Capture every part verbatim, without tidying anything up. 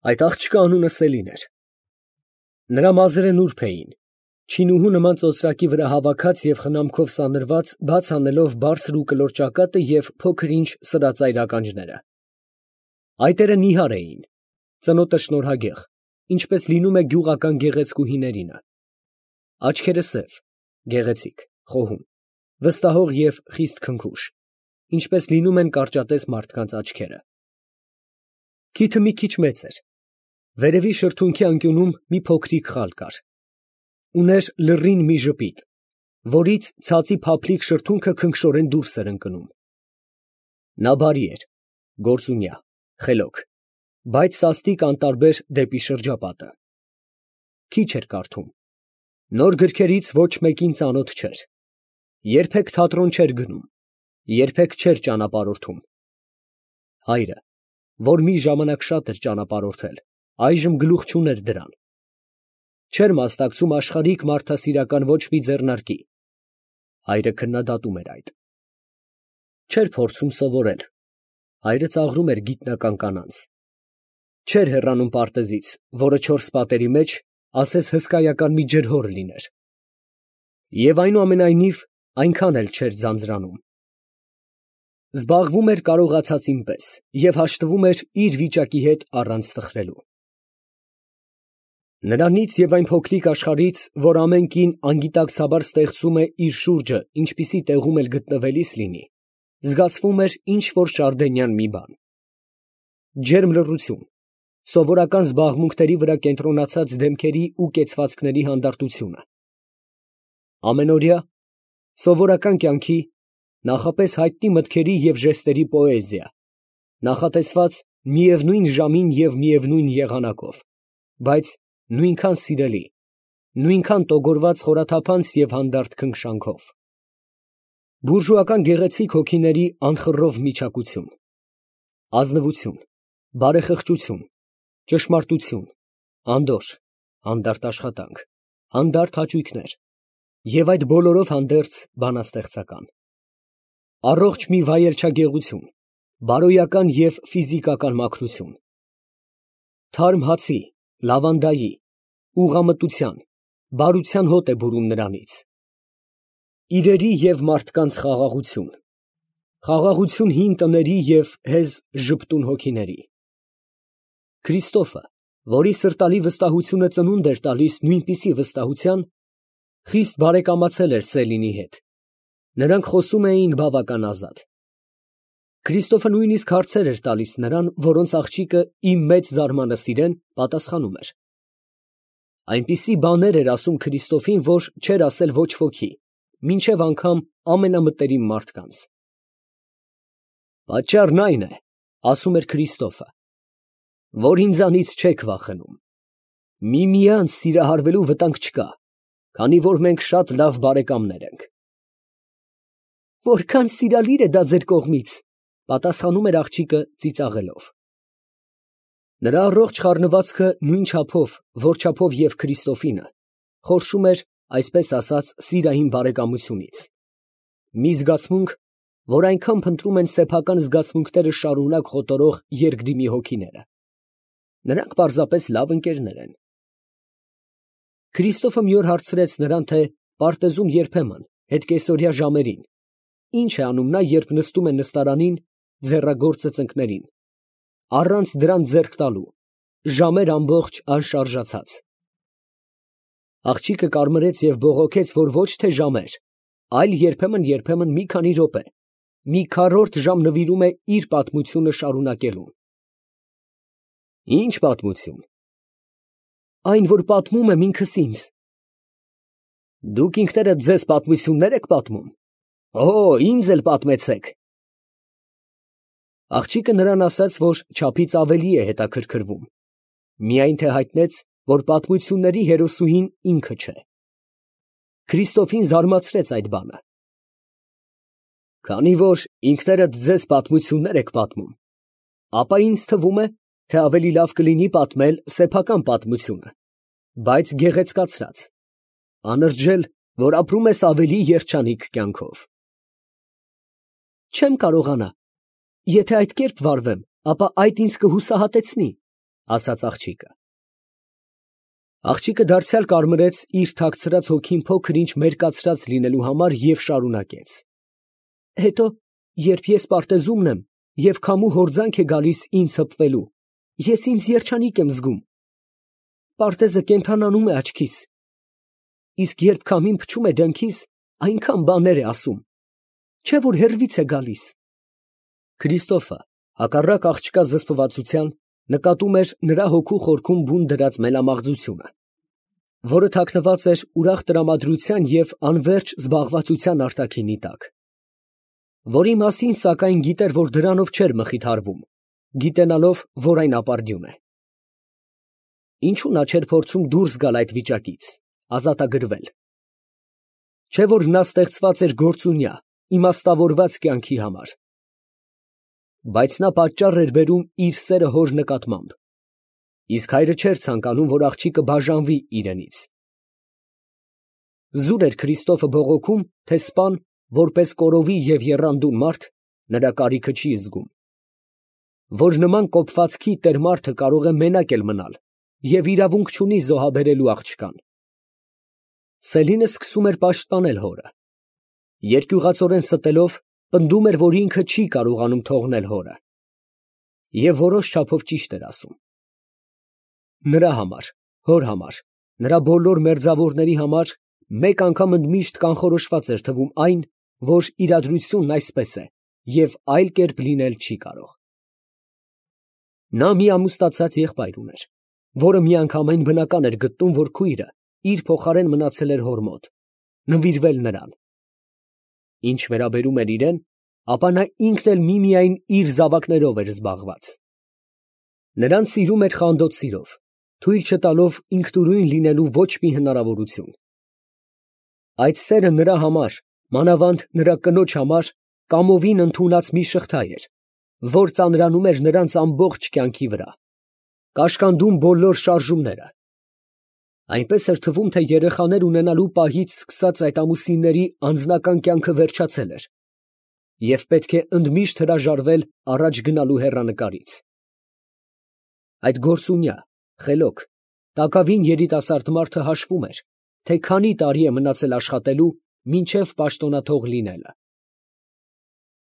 Այդ աղջկա անունը Սելին էր։ Նրա մազերը նուրբ էին, չինուհու նման ծոծրակի վրա հավաքած և խնամքով սանրված, բաց անելով բարձր ու կլոր ճակատը և փոքր ինչ սրածայր ականջները։ Այտերը նիհար էին, ծնոտը շնորհագեղ, ինչպես լինում է գյուղական գեղեցկուհիներինը, աչքերը սև, գեղեցիկ, խոհում, վստահող և խիստ քնքուշ, ինչպես լինում են կարճատես մարդկանց աչքերը։ Քիթը մի քիչ մեծ էր, վերևի շրթունքի անկյունում մի փոքրիկ խալ կար, ուներ լռին մի ժպիտ, որից ցածի փափլիկ շրթունքը քնքշորեն դուրս էր ընկնում։ Նա բարի էր, գործունյա, խելոք, բայց սաստիկ անտարբեր դեպի շրջապատը։ Քիչ էր կարդում, նոր գրքերից ոչ մեկին ծանոթ չէր, երբեք թատրոն չէր գնում, երբեք չէր ճանապարհորդում։ Հայրը, որ մի ժամանակ շատ էր ճանապարհորդել, այժմ գլուխ չուներ դրան։ Չէր մասնակցում աշխարհիկ մարդասիրական ոչ մի ձեռնարկի, հայրը քննադատում էր այդ։ Չէր փորձում սովորել, հայրը ծաղրում էր գիտնական կանանց։ Չէր հեռանում պարտեզից, որը չորս պատերի մեջ, ասես հսկայական մի ջրհոր լիներ։ Եվ այնուամենայնիվ այնքան էլ չէր ձանձրանում։ Զբաղվում էր կարողացածին պես և հաշտվում էր իր վիճակի հետ առանց տխրելու։ Նրանից և այն փոքրիկ աշխարհից, որ ամեն կին անգիտակցաբար ստեղծում է իր շուրջը, ինչպիսի տեղում էլ գտնվելիս լինի, զգացվում էր ինչ֊որ շարդենյան մի բան։ Ջերմ լռություն, սովորական զբաղմունքների վրա կենտրոնացած դեմքերի ու կեցվածքների հանդարտությունը։ Ամենօրյա, սովորական կյանքի, նախապես հայտնի մտքերի և ժեստերի պոեզիա, նախատեսված միևնույն ժամին և միևնույն եղանակով, բայց նույնքան սիրելի, նույնքան տոգորված խորաթափանց և հանդարտ քնքշանքով։ Բուրժուական գեղեցիկ հոգիների անխռով միչակություն, ազնվություն, բարեխղճություն, ճշմարտություն, անդորր, հանդարտ աշխատանք, հանդարտ հաճույքներ և այդ բոլորով հանդերձ բանաստեղծական։ Առողջ մի վայելչագեղություն, բարոյական և ֆիզիկական մաքրություն։ Թարմ հացի, լավանդայի, ուղղամտության, բարության հոտ է բուրում նրանից։ Իրերի և մարդկանց խաղաղություն, խաղաղություն հին տների և հեզ ժպտուն հոգիների։ Քրիստոֆը, որի սրտալի վստահությունը ծնունդ էր տալիս նույնպիսի վստահության, խիստ բարեկամացել էր Սելինի հետ, նրանք խոսում էին բավական ազատ։ Քրիստոֆը նույնիսկ հարցեր էր տալիս նրան, որոնց աղջիկը ի մեծ զարմանքը սիրեն, պատասխանում էր։ Այնպիսի բաներ էր ասում Քրիստոֆին, որ չէր ասել ոչ ոքի, մինչև անգամ ամենամտերիմ մարդկանց։ Պատճառն այն է, ասում էր Քրիստոֆը, որ ինձանից չեք վախենում, միմյանց սիրահարվելու վտանգ չկա, քանի որ մենք շատ լավ բարեկամներ ենք։ Որքան սիրալիր է դա ձեր կողմից, պատասխանում էր աղջիկը ծիծաղելով։ Նրա առողջ խառնվածքը նույն չափով, որ չափով և Քրիստոֆինը, խորշում էր, այսպես ասած, սիրային բարեկամությունից։ Մի զգացմունք, որ այնքան փնտրում են սեփական զգացմունքները շարունակ խոտորող երկդիմի հոգիները։ Նրանք պարզապես լավ ընկերներ են։ Քրիստոֆը մի օր հարցրեց նրան, թե պարտեզում երբեմն, հետկեսօրյա ժամերին, ինչ է անում նա, երբ նստում է նստարանին, ձեռագործը ծնկներին, առանց դրան ձեռք տալու, ժամեր ամբողջ անշարժացած։ Աղջիկը կարմրեց և բողոքեց, որ ոչ թե ժամեր, այլ երբեմն֊երբեմն մի քանի րոպե, մի քառորդ ժամ նվիրում է իր պատմությունը շարունակելուն։ Ի՞նչ պատմություն։ Այն, որ պատմում եմ ինքս ինձ։ Դուք ինքներդ ձեզ պատմություննե՞ր եք պատմում։ Օ, ինձ էլ պատմեցեք։ Աղջիկը նրան ասաց, որ չափից ավելի է հետաքրքրվում, միայն թե հայտնեց, որ պատմությունների հերոսուհին ինքը չէ։ Քրիստոֆին զարմացրեց այդ բանը։ Քանի որ ինքներդ ձեզ պատմություններ եք պատմում, ապա ինձ թվում է, թե ավելի լավ կլինի պատմել սեփական պատմությունը, բայց գեղեցկացրած, անրջել, որ ապրում ես ավելի երջանիկ կյանքով։ Չեմ կարողանա, եթե այդ կերպ վարվեմ, ապա այդ ինձ կհուսահատեցնի, ասաց աղջիկը։ Աղջիկը դարձյալ կարմրեց իր թաքցրած հոգին փոքր-ինչ մերկացրած լինելու համար և շարունակեց. Հետո, երբ ես պարտեզումն եմ և քամու հորձանք է գալիս ինձ հպվելու, ես ինձ երջանիկ եմ զգում. պարտեզը կենդանանում է աչքիս, իսկ երբ քամին փչում է դեմքիս, այնքան բաներ է ասում, չէ՞ որ հեռվից է գալիս։ Քրիստոֆը, հակառակ աղջկա զսպվածության, նկատում էր նրա հոգու խորքում բուն դրած մելամաղձությունը, որը թաքնված էր ուրախ տրամադրության և անվերջ զբաղվածության արտաքինի տակ, որի մասին, սակայն, գիտեր, որ դրանով չէր մխիթարվում, գիտենալով, որ այն ապարդյուն է։ Ինչու նա չէր փորձում դուրս գալ այդ վիճակից, ազատագրվել։ Չէ՞ որ նա ստեղծված էր գործունյա, իմաստավորված կյանքի համար։ Բայց նա պատճառ էր բերում իր սերը հոր նկատմամբ, իսկ հայրը չէր ցանկանում, որ աղջիկը բաժանվի իրենից։ Զուր էր Քրիստոֆը բողոքում, թե սպան, որպես կորովի և եռանդուն մարդ, նրա կարիքը չի զգում, որ նման կոպվածքի տեր մարդը կարող է մենակ էլ մնալ և իրավունք չունի զոհաբերելու աղջկան։ Սելինը սկսում էր պաշտպանել հորը, երկյուղածորեն ստելով, պնդում էր, որ ինքը չի կարողանում թողնել հորը, և որոշ չափով ճիշտ էր ասում։ Նրա համար, հոր համար, նրա բոլոր մերձավորների համար մեկ անգամ ընդմիշտ կանխորոշված էր թվում այն, որ իրադրությունն այսպես է և այլ կերպ լինել չի կարող։ Նա մի ամուսնացած եղբայր ուներ, որը միանգամայն բնական էր գտնում, որ քույրը իր փոխարեն մնացել էր հոր մոտ, նվիրվել նրան։ Ինչ վերաբերում էր իրեն, ապա նա ինքն էլ միմիայն իր զավակներով էր զբաղված։ Նրան սիրում էր խանդոտ սիրով, թույլ չտալով ինքնուրույն լինելու ոչ մի հնարավորություն։ Այդ սերը նրա համար, մանավանդ նրա կնոջ համար, կամովին ընդունած մի շղթա էր, որ ծանրանում էր նրանց ամբողջ կյանքի վրա, կաշկանդում բոլոր շարժումները։ Այնպես էր թվում, թե երեխաներ ունենալու պահից սկսած այդ ամուսինների անձնական կյանքը վերջացել էր, և պետք է ընդմիշտ հրաժարվել առաջ գնալու հեռանկարից։ Այդ գործունյա, խելոք, տակավին երիտասարդ մարդը հաշվում էր, թե քանի տարի է մնացել աշխատելու, մինչև պաշտոնաթող լինելը։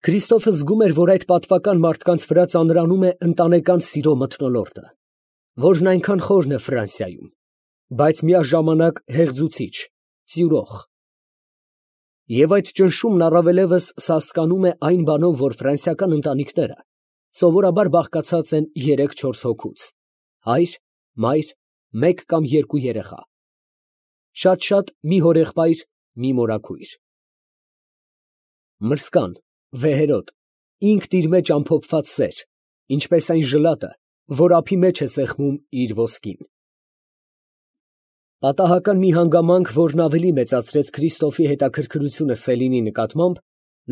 Քրիստոֆը զգում էր, որ այդ պատվական մարդկանց վրա ծանրանում է ընտանեկան սիրո մթնոլորտը, որն այնքան խորն է Ֆրանսիայում, բայց միաժամանակ հեղձուցիչ, ծյուրող։ Եվ այդ ճնշումն առավելևս սասկանում է այն բանով, որ ֆրանսիական ընտանիքները սովորաբար բաղկացած են երեք֊չորս հոգուց՝ հայր, մայր, մեկ կամ երկու երեխա, շատ֊շատ մի հորեղբայր, մի մորաքույր։ Մրսկան, վեհերոտ, ինքն իր մեջ ամփոփված սեր, ինչպես այն ժլատը, որ ափի մեջ է սեղմում իր ոսկին։ Պատահական մի հանգամանք, որն ավելի մեծացրեց Քրիստոֆի հետաքրքրությունը Սելինի նկատմամբ,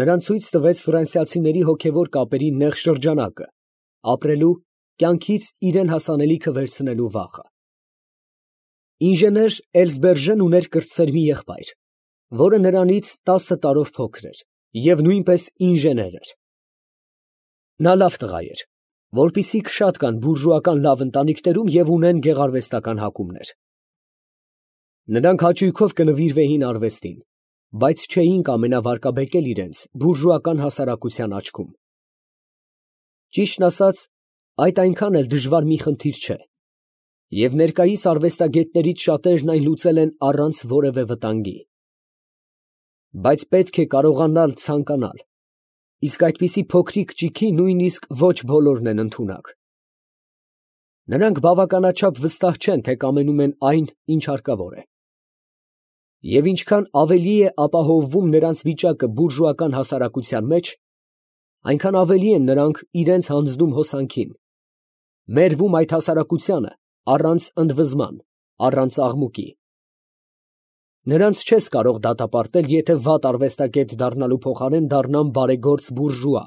նրան ցույց տվեց ֆրանսիացիների հոգևոր կապերի նեղ շրջանակը, ապրելու, կյանքից իրան հասանելիքը վերցնելու վախը։ Ինժեներ Էլզբերժեն ուներ կրտսեր մի եղբայր, որը նրանից տասը տարով փոքր էր և նույնպես ինժեներ էր։ Նա լավ տղա էր, որպիսիք շատ կան բուրժուական լավ ընտանիքներում և ունեն գեղարվեստական հակումներ։ Նրանք հաճույքով կնվիրվեին արվեստին, բայց չէին կամենավարկաբեկել իրենց բուրժուական հասարակության աչքում։ Ճիշտն ասած, այդ այնքան էլ դժվար մի խնդիր չէ, և ներկայիս արվեստագետներից շատերն այն լուծել են առանց որևէ վտանգի։ Բայց պետք է կարողանալ ցանկանալ, իսկ այդպիսի փոքրիկ ճիգի նույնիսկ ոչ բոլորն են ընդունակ։ Նրանք բավականաչափ վստահ չեն, թե կամենում են այն, ինչ հարկավոր է։ Եվ ինչքան ավելի է ապահովվում նրանց վիճակը բուրժուական հասարակության մեջ, այնքան ավելի են նրանք իրենց հանձնում հոսանքին, մերվում այդ հասարակությանը առանց ընդվզման, առանց աղմուկի։ Նրանց չես կարող դատապարտել, եթե վատ արվեստագետ դառնալու փոխարեն դառնան բարեգործ բուրժուա։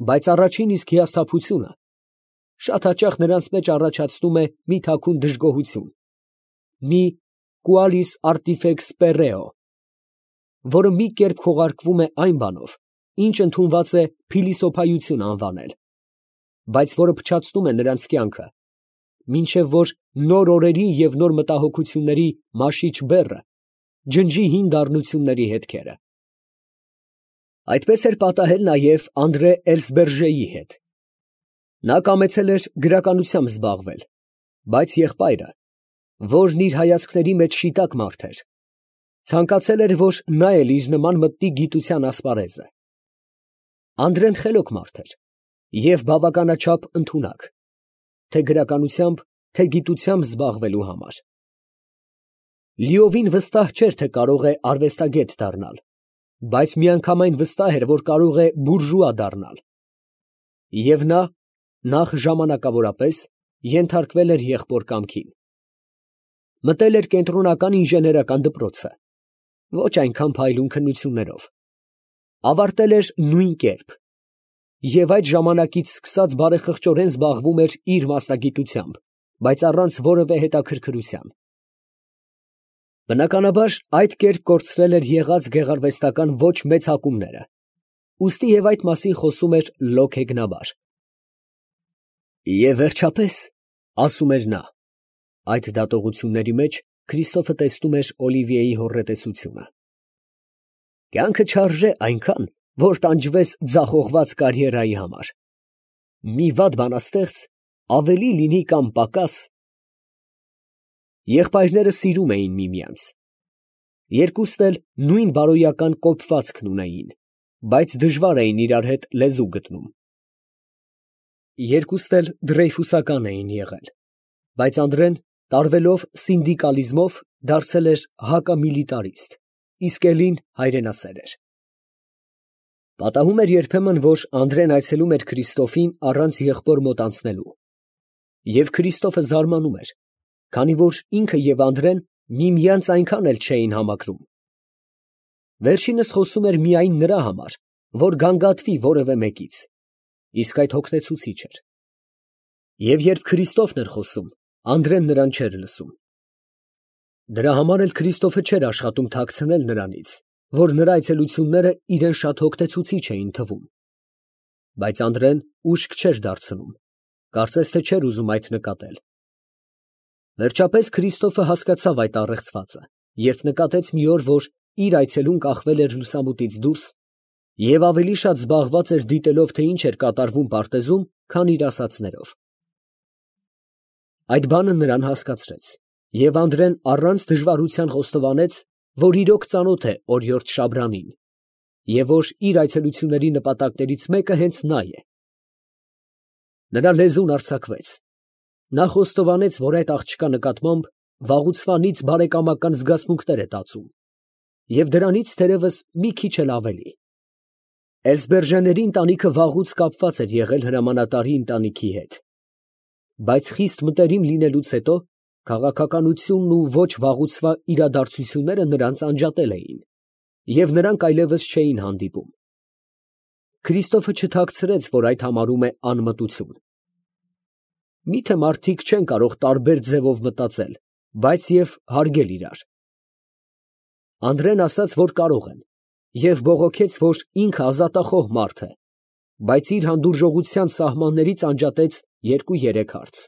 Բայց առաջին իսկ հիասթափությունը շատ հաճախ նրանց մեջ առաջացնում է մի թաքուն դժգոհություն, մի qualis artifex perreo, որը մի կերպ քողարկվում է այն բանով, ինչ ընդունված է փիլիսոփայություն անվանել, բայց որը փչացնում է նրանց կյանքը, մինչև որ նոր օրերի և նոր մտահոգությունների մաշիչ բեռը ջնջի հին դառնությունների հետքերը։ Այդպես էր պատահել նաև Անդրե Էլսբերժեի հետ։ Նա կամեցել էր գրականությամբ զբաղվել, բայց եղբայրը, որն իր հայացքների մեջ շիտակ մարդ էր, ցանկացել էր, որ նա էլ իր նման մտնի գիտության ասպարեզը։ Անդրեն խելոք մարդ էր և բավականաչափ ընդունակ, թե գրականությամբ, թե գիտությամբ զբաղվելու համար։ Լիովին վստահ չէր, թե կարող է արվեստագետ դառնալ, բայց միանգամայն վստահ էր, որ կարող է բուրժուա դառնալ։ Եվ նա, նախ ժամանակավորապես, ենթարկվել էր եղբոր կամքին։ Մտել էր կենտրոնական ինժեներական դպրոցը, ոչ այնքան փայլուն քննություններով, ավարտել էր նույն կերպ և այդ ժամանակից սկսած բարեխղճորեն զբաղվում էր իր մասնագիտությամբ, բայց առանց որևէ հետաքրքրության։ Բնականաբար, այդ կերպ կորցրել էր եղած գեղարվեստական ոչ մեծ հակումները, ուստի և այդ մասին խոսում էր լոկ հեգնաբար։ «Եվ վերջապես, ֊ ասում էր նա, ֊ այդ դատողությունների մեջ Քրիստոֆը տեսնում էր Օլիվիեի հոռետեսությունը, կյանքը չարժե այնքան, որ տանջվես ձախողված կարիերայի համար. մի վատ բանաստեղծ ավելի լինի կամ պակաս…» Եղբայրները սիրում էին միմյանց. երկուստ էլ նույն բարոյական կոփվածքն ունեին, բայց դժվար էին իրար հետ լեզու գտնում. երկուստ էլ դրեյֆուսական էին եղել, բայց Անդրեն, տարվելով սինդիկալիզմով, դարձել էր հակամիլիտարիստ, իսկ Էլին հայրենասեր էր։ Պատահում էր երբեմն, որ Անդրեն այցելում էր Քրիստոֆին առանց եղբոր մոտ անցնելու, և Քրիստոֆը զարմանում էր, քանի որ ինքը և Անդրեն միմյանց այնքան էլ չէին համակրում։ Վերջինս խոսում էր միայն նրա համար, որ գանգատվի որևէ մեկից, իսկ այդ հոգնեցուցիչ էր։ Եվ երբ Քրիստոֆն էր խոսում, Անդրեն նրան չէր լսում։ Դրա համար էլ Քրիստոֆը չէր աշխատում թաքցնել նրանից, որ նրա այցելությունները իրան շատ հոգնեցուցիչ էին թվում։ Բայց Անդրեն ուշք չէր դարձնում, կարծես թե չէր ուզում այդ նկատել։ Վերջապես Քրիստոֆը հասկացավ այդ առեղծվածը, երբ նկատեց մի օր, որ իր այցելուն կախվել էր լուսամուտից դուրս և ավելի շատ զբաղված էր դիտելով, թե ինչ էր կատարվում պարտեզում, քան իր ասածներով։ Այդ բանը նրան հասկացրեց, և Անդրեն առանց դժվարության խոստովանեց, որ իրոք ծանոթ է օրիորդ Շաբրանին, և որ իր այցելությունների նպատակներից մեկը հենց նա է։ Նրա լեզուն արձակվեց. նա խոստովանեց, որ այդ աղջկա նկատմամբ վաղուցվանից բարեկամական զգացմունքներ է տածում, և դրանից թերևս մի քիչ էլ ավելի։ Էլսբերժեների ընտանիքը վաղուց կապված էր եղել հրամանատարի ընտանիքի հետ, բայց խիստ մտերիմ լինելուց հետո քաղաքականությունն ու ոչ վաղուցվա իրադարձությունները նրանց անջատել էին, և նրանք այլևս չէին հանդիպում։ Քրիստոֆը չթաքցրեց, որ այդ համարում է անմտություն։ Մի՞թե մարդիկ չեն կարող տարբեր ձևով մտածել, բայց և հարգել իրար։ Անդրեն ասաց, որ կարող են, և բողոքեց, որ ինքը ազատախոհ մարդ է, բայց իր հանդուրժողության սահմաններից անջատեց երկու֊երեք հարց,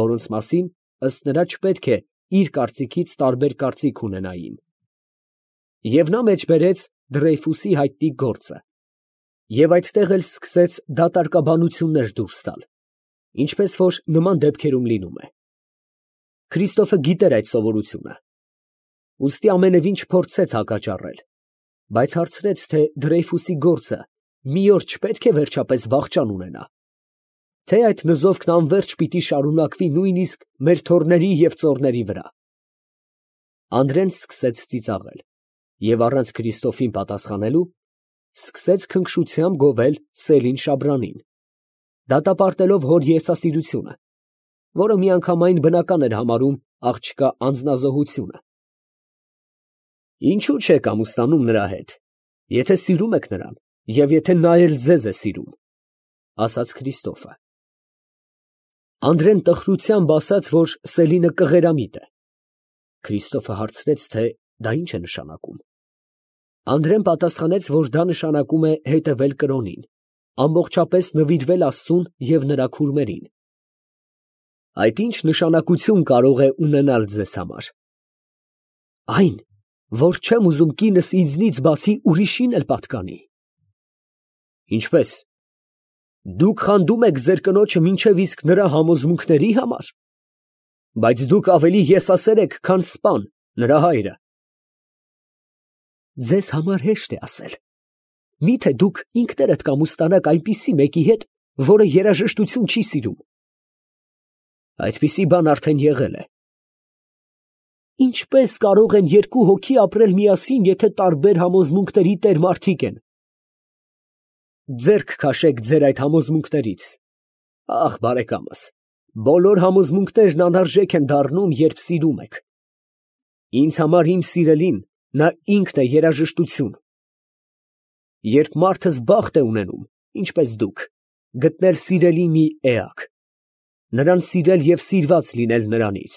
որոնց մասին, ըստ նրա, չպետք է իր կարծիքից տարբեր կարծիք ունենային։ Եվ նա մեջբերեց Դրեյֆուսի հայտնի գործը, և այդտեղ էլ սկսեց դատարկաբանություններ դուրս տալ, ինչպես որ նման դեպքերում լինում է։ Քրիստոֆը գիտեր այդ սովորությունը, ուստի ամենևին չփորձեց հակաճառել, բայց հարցրեց, թե Դրեյֆուսի գործը մի օր չպետք է վերջապես վախճան ունենա, թե այդ նզովքն անվերջ պիտի շարունակվի նույնիսկ մեր թոռների և ծոռների վրա։ Անդրեն սկսեց ծիծաղել և առանց Քրիստոֆին պատասխանելու, սկսեց քնքշությամբ գովել Սելին Շաբրանին, դատապարտելով հոր եսասիրությունը, որը միանգամայն բնական էր համարում աղջկա անձնազոհությունը։ Ինչո՞ւ չեք ամուսնանում նրա հետ, եթե սիրում եք նրան և եթե նա էլ ձեզ է սիրում, ֊ ասաց Քրիստոֆը։ Անդրեն տխրությամբ ասաց, որ Սելինը կղերամիտ է։ Քրիստոֆը հարցրեց, թե դա ինչ է նշանակում։ Անդրեն պատասխանեց, որ դա նշանակում է հետևել կրոնին, ամբողջապես նվիրվել Աստծուն և նրա քուրմերին։ Այդ ի՞նչ նշանակություն կարող է ունենալ ձեզ համար։ Այն, որ չեմ ուզում կինս ինձնից բացի ուրիշին էլ պատկանի։ Ինչպե՞ս։ Դուք խանդում եք ձեր կնոջը մինչև իսկ նրա համոզմունքների համար։ Բայց դուք ավելի եսասեր եք, քան սպան, նրա հայրը։ Ձեզ համար հեշտ է ասել։ Մի՞թե դուք ինքներդ կամուստանաք այնպիսի մեկի հետ, որը երաժշտություն չի սիրում։ Այդպիսի բան արդեն եղել է։ Ինչպե՞ս կարող են երկու հոգի ապրել միասին, եթե տարբեր համոզմունքների տեր մարդիկ են։ Ձեռք քաշեք ձեր այդ համոզմունքներից։ Ախ, բարեկամս, բոլոր համոզմունքներն անարժեք են դառնում, երբ սիրում եք։ Ինձ համար իմ սիրելին, նա ինքն է երաժշտություն։ Երբ մարդը զբաղտ է ունենում, ինչպես դուք, գտնել սիրելի մի էակ, նրան սիրել և սիրված լինել նրանից,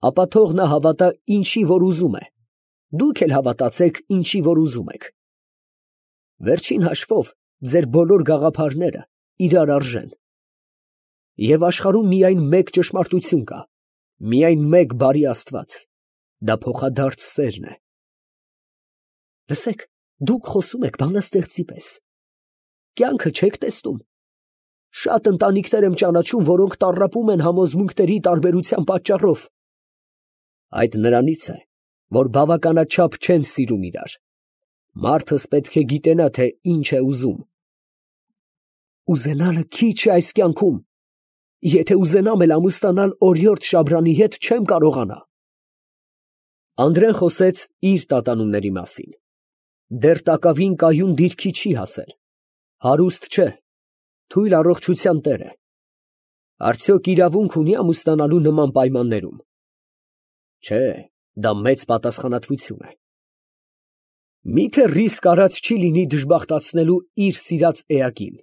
ապա թող նա հավատա ինչի, որ ուզում է, դուք էլ հավատացեք ինչի, որ ուզում եք։ Վերջին հաշվով ձեր բոլոր գաղափարները իրար արժեն։ Եվ աշխարհում միայն մեկ ճշմարտություն կա, միայն մեկ բարի Աստված, դա փոխադարձ սերն է։ Լսեք, դուք խոսում եք բանաստեղծի պես։ Կյանքը չեք տեսնում։ Շատ ընտանիքներ եմ ճանաչում, որոնք տառապում են համոզմունքների տարբերության պատճառով։ Այդ նրանից է, որ բավականաչափ չեն սիրում իրար։ Մարդս պետք է գիտենա, թե ինչ է ուզում։ Ուզենալը քիչ է այս կյանքում։ Եթե ուզենամ էլ ամուսնանալ օրիորդ Շաբրանի հետ, չեմ կարողանա։ Անդրեն խոսեց իր տատանումների մասին։ Դեռ տակավին կայուն դիրքի չի հասել։ Հարուստ չէ, թույլ առողջության տեր է։ Արդյոք իրավունք ունի ամուսնանալու նման պայմաններում։ Չէ, դա մեծ պատասխանատվություն է։ Միթե ռիսկ արած չի լինի դժբախտացնելու իր սիրած էակին։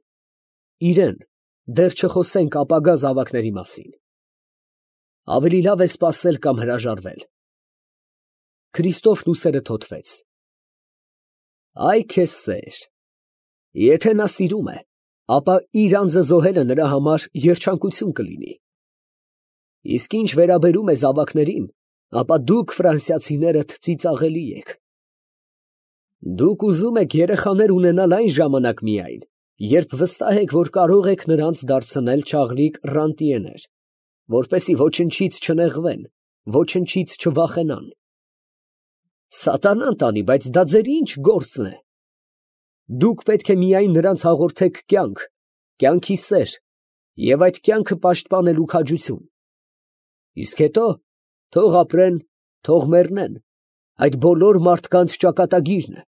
Իրեն, դեռ չխոսենք ապագա զավակների մասին։ Ավելի լավ է սպասել կամ հրաժարվել։ Քրիստոֆն ուսերը թոթվեց։ Այ քեզ սեր։ Եթե նա սիրում է, ապա իր անձը զոհելը նրա համար երջանկություն կլինի։ Իսկ ինչ վերաբերում է զավակներին, ապա դուք ֆրանսիացիներդ ծիծաղելի եք։ Դուք ուզում եք երեխաներ ունենալ այն ժամանակ միայն, երբ վստահ եք, որ կարող եք նրանց դարձնել չաղլիկ ռանտիեներ, որպեսզի ոչնչից չնեղվեն, ոչնչից չվախենան։ Սատանան տանի, բայց դա ձեր ինչ գործն է։ Դուք պետք է միայն նրանց հաղորդեք կյանք, կյանքի սեր, և այդ կյանքը պաշտպանելու քաջություն։ Իսկ հետո թող ապրեն, թող մեռնեն, այդ բոլոր մարդկանց ճակատագիրն է։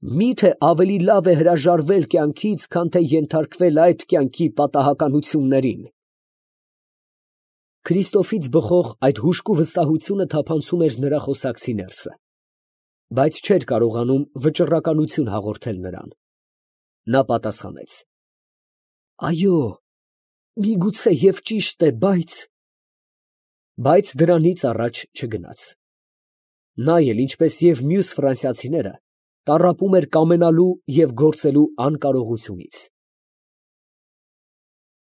Միթե ավելի լավ է հրաժարվել կյանքից, քան թե ենթարկվել այդ կյանքի պատահականություններին։ Քրիստոֆից բխող այդ հուժկու վստահությունը թափանցում էր նրա խոսակցի ներսը, բայց չէր կարողանում վճռականություն հաղորդել նրան։ Նա պատասխանեց. Այո, միգուցե և ճիշտ է, բայց… Բայց դրանից առաջ չգնաց։ Նա էլ, ինչպես և մյուս ֆրանսիացիները, տառապում էր կամենալու և գործելու անկարողությունից։